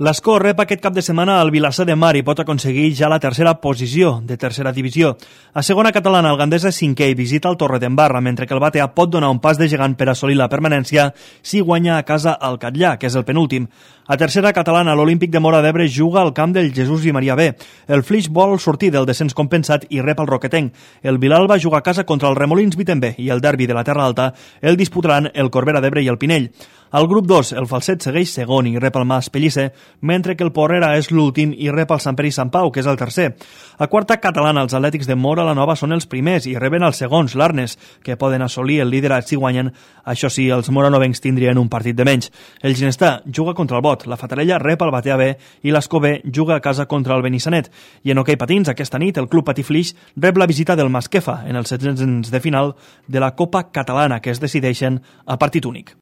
L'Escó rep aquest cap de setmana al Vilassar de Mar i pot aconseguir ja la tercera posició de tercera divisió. A segona catalana, el Gandesa és cinquè i visita el Torredembarra, mentre que el Batea pot donar un pas de gegant per assolir la permanència si guanya a casa el Catllà, que és el penúltim. A tercera catalana, l'Olímpic de Móra d'Ebre juga al camp del Jesús i Maria B. El Flix vol sortir del descens compensat i rep el Roquetenc. El Vilalba juga a casa contra el Remolins Vitember i el derbi de la Terra Alta el disputaran el Corbera d'Ebre i el Pinell. Al grup 2, el Falset segueix segon i rep el Mas Pellicer, mentre que el Porrera és l'últim i rep el Sant Pere i Sant Pau, que és el tercer. A quarta catalana, els Atlètics de Móra la Nova són els primers i reben els segons, l'Arnes, que poden assolir el liderat si guanyen. Això sí, els moranovencs tindrien un partit de menys. El Ginestà juga contra el Bot, la Fatarella rep el Batea B i l'Escó B juga a casa contra el Benissanet. I en hoquei patins, aquesta nit, el Club Patí Flix rep la visita del Masquefa en els 16 de final de la Copa Catalana, que es decideixen a partit únic.